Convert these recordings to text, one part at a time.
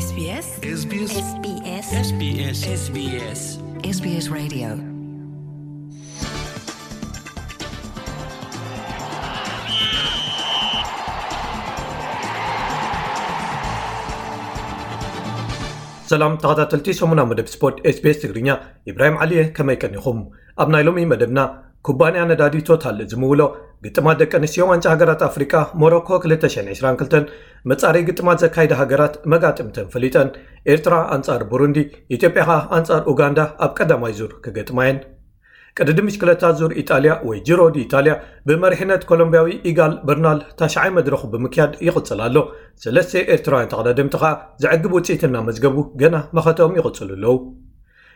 SBS SBS SBS SBS SBS SBS Radio. ሰላም ተኸታተልቲ ሰሙና መደብ ስፖርት SBS ትግርኛ፣ ኢብራሂም ዓሊየ፣ ከመይ ቀኒኹም? ኣብ ናይ ሎሚ መደብና፣ ኩባንያ ነዳዲ ቶታል ዝምውሎ ግጥማት ደቂ ኣንስትዮ ዋንጫ ሃገራት ኣፍሪቃ ሞሮኮ ክልተ ሽሕን ዕስራን ክልተን መጻረይ ግጥማት ዘካይዳ ሃገራት መጋጥምተን ፈሊጠን። ኤርትራ ኣንጻር ቡሩንዲ፣ ኢትዮጵያ ኸኣ ኣንጻር ኡጋንዳ ኣብ ቀዳማይ ዙር ክገጥማ እየን። ቅድድም ብሽክለታ ዙር ኢጣልያ ወይ ጂሮ ዲ ኢጣልያ ብመሪሕነት ኮሎምቢያዊ ኢጋል በርናል ታሽዓይ መድረኹ ብምክያድ ይቕጽል ኣሎ። ሰለስተ ኤርትራውያን ተቐዳደምቲ ኸኣ ዘዕግብ ውጽኢት እናመዝገቡ ገና መኸተኦም ይቕጽሉ ኣለዉ።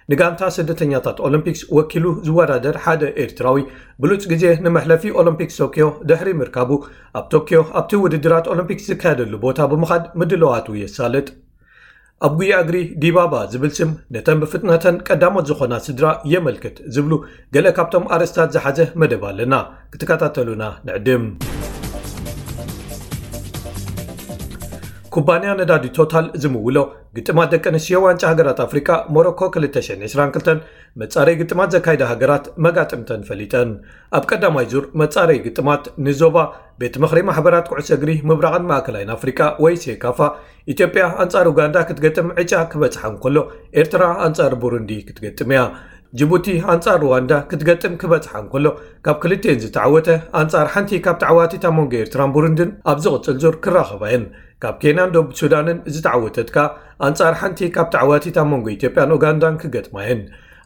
ንጋንታ ስደተኛታት ኦሎምፒክስ ወኪሉ ዝወዳደር ሓደ ኤርትራዊ ብሉጽ ግዜ ንመሕለፊ ኦሎምፒክስ ቶክዮ ድሕሪ ምርካቡ፣ ኣብ ቶክዮ ኣብቲ ውድድራት ኦሎምፒክስ ዝካየደሉ ቦታ ብምኻድ ምድላዋቱ የሳልጥ። ኣብ ጉያ እግሪ ዲባባ ዝብል ስም ነተን ብፍጥነተን ቀዳሞት ዝኾና ስድራ የመልክት ዝብሉ ገለ ካብቶም ኣርእስታት ዝሓዘ መደብ ኣለና። ክትከታተሉና ንዕድም። ኩባንያ ነዳዲ ቶታል ዝምውሎ ግጥማት ደቂ ኣንስትዮ ዋንጫ ሃገራት ኣፍሪቃ ሞሮኮ ክልተ ሽሕን ዕስራን ክልተን መጻረይ ግጥማት ዘካይዳ ሃገራት መጋጥምተን ፈሊጠን። ኣብ ቀዳማይ ዙር መጻረይ ግጥማት ንዞባ ቤት ምኽሪ ማሕበራት ኩዕሶ እግሪ ምብራቕን ማእከላይን ኣፍሪቃ ወይ ሴካፋ፣ ኢትዮጵያ ኣንጻር ኡጋንዳ ክትገጥም ዕጫ ክበጽሓ እንከሎ፣ ኤርትራ ኣንጻር ቡሩንዲ ክትገጥም እያ። ጅቡቲ ኣንጻር ሩዋንዳ ክትገጥም ክበጽሓ እንከሎ፣ ካብ ክልቲኤን ዝተዓወተ ኣንጻር ሓንቲ ካብ ተዓዋቲት ኣብ መንጎ ኤርትራን ቡሩንድን ኣብ ዝቕጽል ዙር ክራኸባ እየን። ካብ ኬንያን ደቡብ ሱዳንን ዝተዓወተት ከኣ ኣንጻር ሓንቲ ካብ ተዓዋቲት ኣብ መንጎ ኢትዮጵያን ኡጋንዳን ክገጥማ እየን።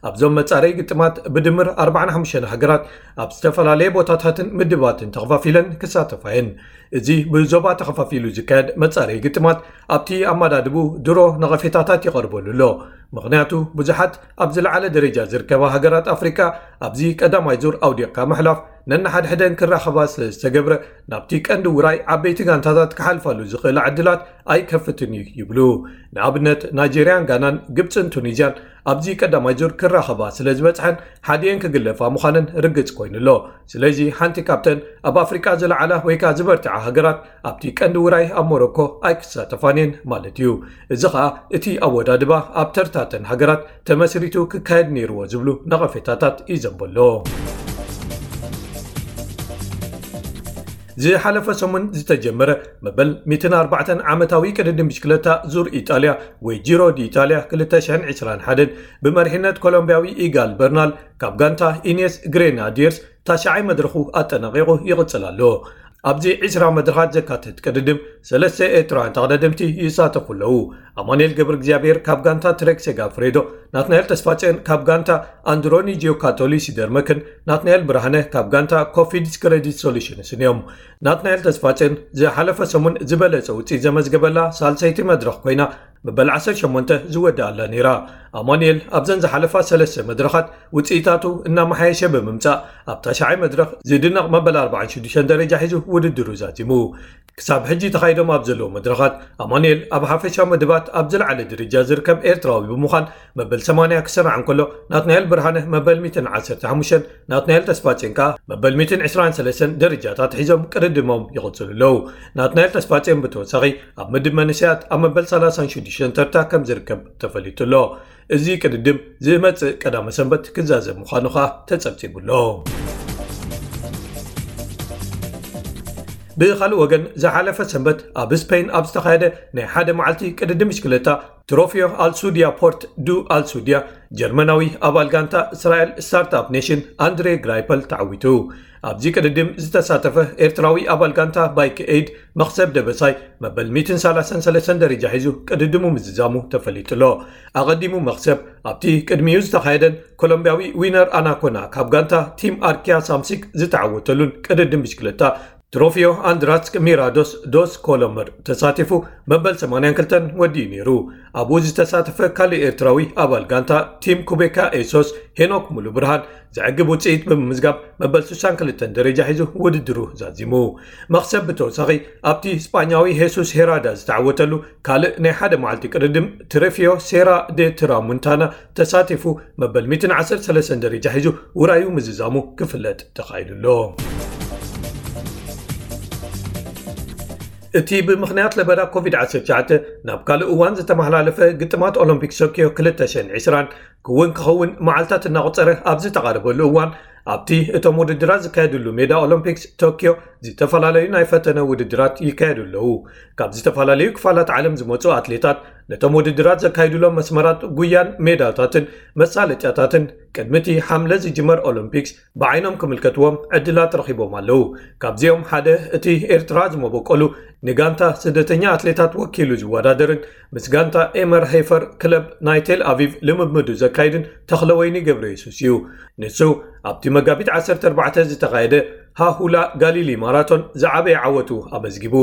ኣብዞም መጻረይ ግጥማት ብድምር ኣርባዓን ሓሙሽተን ሃገራት ኣብ ዝተፈላለየ ቦታታትን ምድባትን ተኸፋፊለን ክሳተፋ እየን። እዚ ብዞባ ተኸፋፊሉ ዝካየድ መጻረይ ግጥማት ኣብቲ ኣመዳድቡ ድሮ ነቐፌታታት ይቐርበሉ ኣሎ። ምኽንያቱ ብዙሓት ኣብ ዝለዓለ ደረጃ ዝርከባ ሃገራት ኣፍሪቃ ኣብዚ ቀዳማይ ዙር ኣውዲቕካ ምሕላፍ ነንሓድሕደን ክራኸባ ስለ ዝተገብረ፣ ናብቲ ቀንዲ ውራይ ዓበይቲ ጋንታታት ክሓልፋሉ ዝኽእላ ዕድላት ኣይከፍትን እዩ ይብሉ። ንኣብነት ናይጄርያን ጋናን፣ ግብጽን ቱኒዝያን ኣብዚ ቀዳማይ ዙር ክራኸባ ስለ ዝበጽሐን ሓዲኤን ክግለፋ ምዃነን ርግጽ ኮይኑ ኣሎ። ስለዚ ሓንቲ ካብተን ኣብ ኣፍሪቃ ዝለዓላ ወይ ከኣ ዝበርትዓ ሃገራት ኣብቲ ቀንዲ ውራይ ኣብ ሞሮኮ ኣይክሳተፋን እየን ማለት እዩ። እዚ ኸኣ እቲ ኣወዳድባ ኣብ ተርታተን ሃገራት ተመስሪቱ ክካየድ ነይርዎ ዝብሉ ነቐፌታታት ይዘንበሎ። ዝሓለፈ ሰሙን ዝተጀመረ መበል ሚእትን ኣርባዕተን ዓመታዊ ቅድድም ብሽክለታ ዙር ኢጣልያ ወይ ጂሮ ዲ ኢጣልያ ክልተ ሽሕን ዕስራን ሓደን ብመሪሕነት ኮሎምቢያዊ ኢጋል በርናል ካብ ጋንታ ኢኔስ ግሬናዲየርስ ታሽዓይ መድረኹ ኣጠናቒቑ ይቕጽል ኣሎ። ኣብዚ ዕስራ መድረኻት ዘካትት ቅድድም ሰለስተ ኤርትራውያን ተቐዳደምቲ ይሳተፉ ኣለዉ። ኣማኑኤል ገብረ እግዚኣብሔር ካብ ጋንታ ትሬክ ሴጋፍሬዶ፣ ናትናኤል ተስፋጽዮን ካብ ጋንታ ኣንድሮኒ ጂዮካቶሊ ሲደርመክን ናትናኤል ብርሃነ ካብ ጋንታ ኮፊድስ ክሬዲት ሶሉሽንስን እዮም። ናትናኤል ተስፋጽዮን ዝሓለፈ ሰሙን ዝበለጸ ውጽኢት ዘመዝገበላ ሳልሰይቲ መድረኽ ኮይና፣ መበል ዓሰርተ ሸሞንተ ዝወድኣላ ነይራ። ኣማኑኤል ኣብዘን ዝሓለፋ ሰለስተ መድረኻት ውጽኢታቱ እናመሓየሸ ብምምጻእ፣ ኣብ ታሽዓይ መድረኽ ዝድነቕ መበል ኣርባዓን ሽዱሽተን ደረጃ ሒዙ ውድድሩ ዛዚሙ። ክሳብ ሕጂ ተኻይዶም ኣብ ዘለዉ መድረኻት፣ ኣማኑኤል ኣብ ሓፈሻዊ መደባት ኣብ ዝለዓለ ደረጃ ዝርከብ ኤርትራዊ ብምዃን መበል ሰማንያ ክስራዕ እንከሎ፣ ናትናኤል ብርሃነ መበል ሚእትን ዓሰርተ ሓሙሽተን፣ ናትናኤል ተስፋጽዮን ከኣ መበል ሚእትን ዕስራን ሰለስተን ደረጃታት ሒዞም ቅድድሞም ይቕጽሉ ኣለዉ። ናትናኤል ተስፋጽዮን ብተወሳኺ ኣብ ምድብ መንእሰያት ኣብ መበል ሰላሳን ሽዱሽተን ተርታ ከም ዝርከብ ተፈሊጡ ኣሎ። እዚ ቅድድም ዝመጽእ ቀዳመ ሰንበት ክዛዘም ምዃኑ ኸኣ ተጸብጺቡ ኣሎ። ብኻልእ ወገን፣ ዝሓለፈ ሰንበት ኣብ ስፔን ኣብ ዝተኻየደ ናይ ሓደ መዓልቲ ቅድድም ብሽክለታ፣ ትሮፊዮ ኣልሱድያ ፖርት ዱ ኣልሱድያ፣ ጀርመናዊ ኣባል ጋንታ እስራኤል ስታርትኣፕ ኔሽን ኣንድሬ ግራይፐል ተዓዊቱ። ኣብዚ ቅድድም ዝተሳተፈ ኤርትራዊ ኣባል ጋንታ ባይክ ኤይድ መኽሰብ ደበሳይ መበል ሚእትን ሰላሳን ሰለስተን ደረጃ ሒዙ ቅድድሙ ምዝዛሙ ተፈሊጡ ኣሎ። ኣቐዲሙ መኽሰብ ኣብቲ ቅድሚኡ ዝተኻየደን ኮሎምቢያዊ ዊነር ኣናኮና ካብ ጋንታ ቲም ኣርኪያ ሳምሲክ ዝተዓወተሉን ቅድድም ብሽክለታ ትሮፊዮ ኣንድራስክ ሚራዶስ ዶስ ኮሎመር ተሳቲፉ መበል ሰማንያን ክልተን ወዲኡ ነይሩ። ኣብኡ ዝተሳተፈ ካልእ ኤርትራዊ ኣባል ጋንታ ቲም ኩቤካ ኤሶስ ሄኖክ ሙሉ ብርሃን ዘዕግብ ውጽኢት ብምምዝጋብ መበል ስሳን ክልተን ደረጃ ሒዙ ውድድሩ ዛዚሙ። መኽሰብ ብተወሳኺ ኣብቲ ስጳኛዊ ሄሱስ ሄራዳ ዝተዓወተሉ ካልእ ናይ ሓደ መዓልቲ ቅድድም ትረፊዮ ሴራ ደ ትራሙንታና ተሳቲፉ መበል ሚእትን ዓሰርተ ሰለስተን ደረጃ ሒዙ ውራዩ ምዝዛሙ ክፍለጥ ተኻኢሉ ኣሎ። እቲ ብምኽንያት ለበዳ ኮቪድ ዓሰርተ ትሽዓተ ናብ ካልእ እዋን ዝተመሓላለፈ ግጥማት ኦሎምፒክ ቶኪዮ ክልተ ሽሕን ዕስራን ክውን ክኸውን መዓልታት እናቖጸረ ኣብ ዝተቓረበሉ እዋን፣ ኣብቲ እቶም ውድድራት ዝካየድሉ ሜዳ ኦሎምፒክስ ቶኪዮ ዝተፈላለዩ ናይ ፈተነ ውድድራት ይካየዱ ኣለዉ። ካብ ዝተፈላለዩ ክፋላት ዓለም ዝመጹ ኣትሌታት ነቶም ውድድራት ዘካይዱሎም መስመራት ጉያን ሜዳታትን መሳለጥያታትን ቅድሚ እቲ ሓምለ ዝጅመር ኦሎምፒክስ ብዓይኖም ክምልከትዎም ዕድላት ረኺቦም ኣለዉ። ካብዚኦም ሓደ እቲ ኤርትራ ዝመበቆሉ ንጋንታ ስደተኛ ኣትሌታት ወኪሉ ዝወዳደርን ምስ ጋንታ ኤመር ሄፈር ክለብ ናይ ቴል ኣቪቭ ልምምዱ ዘካይድን ተኽለወይኒ ገብረ የሱስ እዩ። ንሱ ኣብቲ መጋቢት ዓሰርተ ኣርባዕተ ዝተኻየደ ሃሁላ ጋሊሊ ማራቶን ዝዓበየ ዓወቱ ኣመዝጊቡ።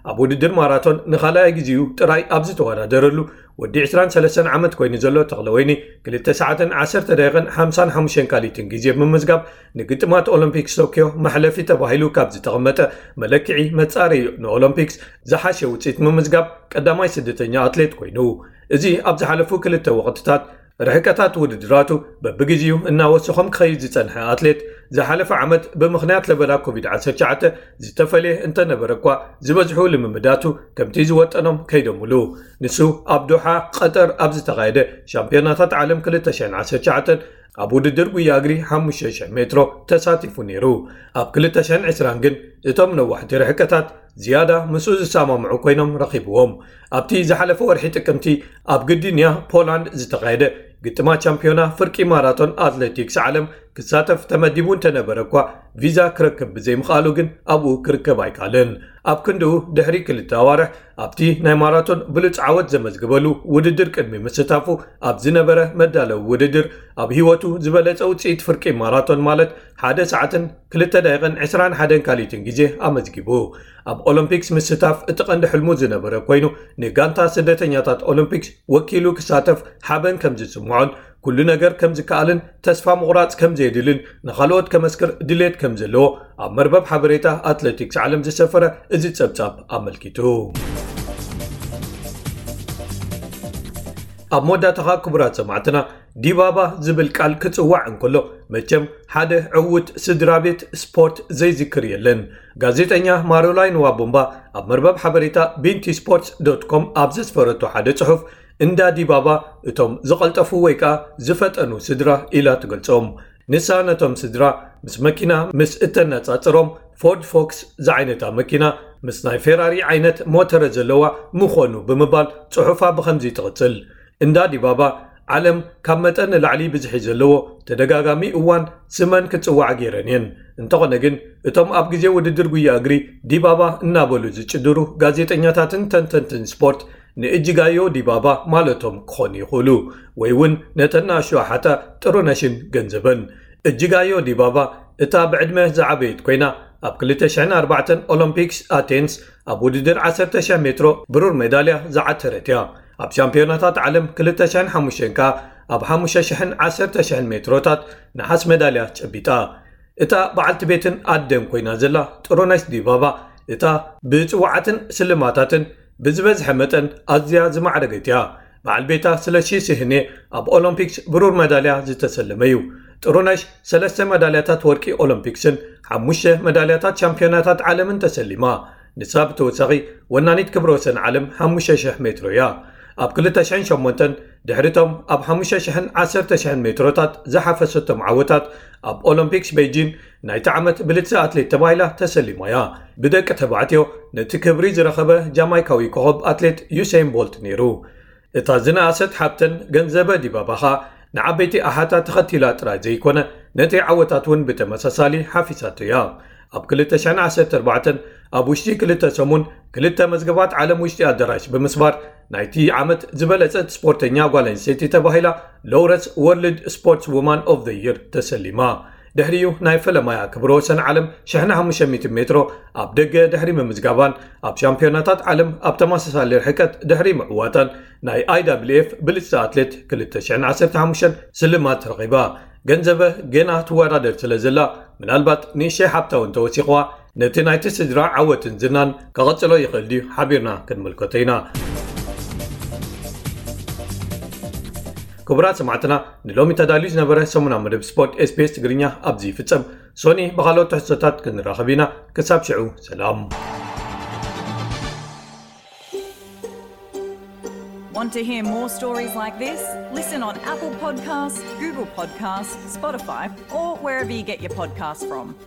ኣብ ውድድር ማራቶን ንኻልኣይ ግዜኡ ጥራይ ኣብ ዝተወዳደረሉ ወዲ ዕስራን ሰለስተን ዓመት ኮይኑ ዘሎ ተኽለወይኒ ክልተ ሰዓትን ዓሰርተ ደቂቕን ሓምሳን ሓሙሽተን ካሊትን ግዜ ብምምዝጋብ ንግጥማት ኦሎምፒክስ ቶኪዮ መሕለፊ ተባሂሉ ካብ ዝተቐመጠ መለክዒ መጻረዩ ንኦሎምፒክስ ዝሓሸ ውጽኢት ምምዝጋብ ቀዳማይ ስደተኛ ኣትሌት ኮይኑ። እዚ ኣብ ዝሓለፉ ክልተ ወቕትታት ርሕቀታት ውድድራቱ በብግዜኡ እናወሰኾም ክኸይድ ዝጸንሐ ኣትሌት ዝሓለፈ ዓመት ብምኽንያት ለበዳ ኮቪድ ዓሰርተ ትሽዓተ ዝተፈልየ እንተነበረ እኳ ዝበዝሑ ልምምዳቱ ከምቲ ዝወጠኖም ከይዶምሉ። ንሱ ኣብ ዶሓ ቀጠር ኣብ ዝተኻየደ ሻምፒዮናታት ዓለም ክልተ ሽሕን ዓሰርተ ትሽዓተን ኣብ ውድድር ጉያ እግሪ ሓሙሽተ ሽሕ ሜትሮ ተሳቲፉ ነይሩ። ኣብ ክልተ ሽሕን ዕስራን ግን እቶም ነዋሕቲ ርሕቀታት ዝያዳ ምስኡ ዝሰማምዑ ኮይኖም ረኺብዎም። ኣብቲ ዝሓለፈ ወርሒ ጥቅምቲ ኣብ ግዲንያ ፖላንድ ዝተኻየደ ግጥማት ቻምፒዮና ፍርቂ ማራቶን ኣትሌቲክስ ዓለም ክሳተፍ ተመዲቡ እንተነበረ እኳ ቪዛ ክረክብ ብዘይምኽኣሉ ግን ኣብኡ ክርከብ ኣይከኣለን። ኣብ ክንድኡ ድሕሪ ክልተ ኣዋርሕ ኣብቲ ናይ ማራቶን ብሉጽ ዓወት ዘመዝግበሉ ውድድር ቅድሚ ምስታፉ ኣብ ዝነበረ መዳለዊ ውድድር ኣብ ህይወቱ ዝበለጸ ውጽኢት ፍርቂ ማራቶን ማለት ሓደ ሰዓትን ክልተ ደቂቕን ዕስራን ሓደን ካሊትን ግዜ ኣመዝጊቡ። ኣብ ኦሎምፒክስ ምስታፍ እቲ ቀንዲ ሕልሙ ዝነበረ ኮይኑ ንጋንታ ስደተኛታት ኦሎምፒክስ ወኪሉ ክሳተፍ ሓበን ከም ዝስምዖን ኩሉ ነገር ከም ዝከኣልን ተስፋ ምቑራጽ ከም ዘየድልን ንኻልኦት ከመስክር ድሌት ከም ዘለዎ ኣብ መርበብ ሓበሬታ ኣትሌቲክስ ዓለም ዝሰፈረ እዚ ጸብጻብ ኣመልኪቱ። ኣብ መወዳእታ ክቡራት ሰማዕትና ዲባባ ዝብል ቃል ክጽዋዕ እንከሎ መቸም ሓደ ዕዉት ስድራ ቤት ስፖርት ዘይዝክር የለን። ጋዜጠኛ ማሮላይን ዋቦምባ ኣብ መርበብ ሓበሬታ ቢንቲ ስፖርትስ ዶት ኮም ኣብ ዘስፈረቶ ሓደ ጽሑፍ እንዳ ዲባባ እቶም ዝቐልጠፉ ወይ ከኣ ዝፈጠኑ ስድራ ኢላ ትገልጾም። ንሳ ነቶም ስድራ ምስ መኪና ምስ እተነጻጽሮም ፎርድ ፎክስ ዝዓይነታ መኪና ምስ ናይ ፌራሪ ዓይነት ሞተረ ዘለዋ ምኾኑ ብምባል ጽሑፋ ብኸምዚ ትቕጽል። እንዳ ዲባባ ዓለም ካብ መጠን ንላዕሊ ብዝሒ ዘለዎ ተደጋጋሚ እዋን ስመን ክጽዋዓ ገይረን እየን። እንተኾነ ግን እቶም ኣብ ግዜ ውድድር ጉያ እግሪ ዲባባ እናበሉ ዝጭድሩ ጋዜጠኛታትን ተንተንትን ስፖርት ንእጅጋዮ ዲባባ ማለቶም ክኾኑ ይኽእሉ ወይ እውን ነተን ንኣሽቱ ኣሓታ ጥሩነሽን ገንዘበን። እጅጋዮ ዲባባ እታ ብዕድመ ዝዓበየት ኮይና ኣብ ክልተ ሽሕን ኣርባዕተን ኦሎምፒክስ ኣቴንስ ኣብ ውድድር ዓሰርተ ሽሕ ሜትሮ ብሩር ሜዳልያ ዝዓተረት እያ። ኣብ ሻምፒዮናታት ዓለም ክልተ ሽሕን ሓሙሽተን ከኣ ኣብ ሓሙሽተ ሽሕን ዓሰርተ ሽሕን ሜትሮታት ነሓስ ሜዳልያ ጨቢጣ። እታ በዓልቲ ቤትን ኣደን ኮይና ዘላ ጥሩነሽ ዲባባ እታ ብጽዋዓትን ስልማታትን ብዝበዝሐ መጠን ኣዝያ ዝማዕረገት እያ። በዓል ቤታ ስለሺ ስህኔ ኣብ ኦሎምፒክስ ብሩር መዳልያ ዝተሰለመ እዩ። ጥሩነሽ ሰለስተ መዳልያታት ወርቂ ኦሎምፒክስን ሓሙሽተ መዳልያታት ሻምፒዮናታት ዓለምን ተሰሊማ። ንሳ ብተወሳኺ ወናኒት ክብረ ወሰን ዓለም ሓሙሽተ ሽሕ ሜትሮ እያ። ኣብ ክልተ ሽሕን ሸሞንተን ድሕሪቶም ኣብ ሓሙሽተ ሽሕን ዓሰርተ ሽሕን ሜትሮታት ዝሓፈሰቶም ዓወታት ኣብ ኦሎምፒክስ ቤጂን ናይቲ ዓመት ብልጽቲ ኣትሌት ተባሂላ ተሰሊማ እያ። ብደቂ ተባዕትዮ ነቲ ክብሪ ዝረኸበ ጃማይካዊ ኮኸብ ኣትሌት ዩሴን ቦልት ነይሩ። እታ ዝነኣሰት ሓብተን ገንዘበ ዲባባ ኸኣ ንዓበይቲ ኣሓታ ተኸቲላ ጥራይ ዘይኮነ ነቲ ዓወታት እውን ብተመሳሳሊ ሓፊሳቶ እያ። ኣብ ክልተ ሽሕን ዓሰርተ ኣርባዕተን ኣብ ውሽጢ ክልተ ሰሙን ክልተ መዝገባት ዓለም ውሽጢ ኣዳራሽ ብምስባር ናይቲ ዓመት ዝበለጸት ስፖርተኛ ጓል ኣንስተይቲ ተባሂላ ሎረስ ወርልድ ስፖርትስ ውማን ኦፍ ዘ ይር ተሰሊማ። ድሕሪኡ ናይ ፈለማያ ክብረ ወሰን ዓለም ሽሕን ሓሙሽተ ሚእትን ሜትሮ ኣብ ደገ ድሕሪ ምምዝጋባን ኣብ ሻምፒዮናታት ዓለም ኣብ ተመሳሳሊ ርሕቀት ድሕሪ ምዕዋታን ናይ ኣይ ዳብሊው ኤፍ ብልጽቲ ኣትሌት ክልተ ሽሕን ዓሰርተ ሓሙሽተን ስልማት ረኺባ። ገንዘበ ገና ትወዳደር ስለ ዘላ ምናልባት ንእሽተይ ሓብታ እውን ተወሲኽዋ ነቲ ናይቲ ስድራ ዓወትን ዝናን ከቐጽሎ ይኽእል ድዩ ሓቢርና ክንምልከቶ ኢና። ክቡራት ሰማዕትና ንሎሚ ተዳልዩ ዝነበረ ሰሙና መደብ ስፖርት ኤስቢኤስ ትግርኛ ኣብዚ ይፍጸም። ሶኒ ብኻልኦት ትሕዝቶታት ክንራኸብ ኢና። ክሳብ ሽዑ ሰላም። Want to hear more stories like this? Listen on Apple Podcasts, Google Podcasts, Spotify, or wherever you get your podcasts from.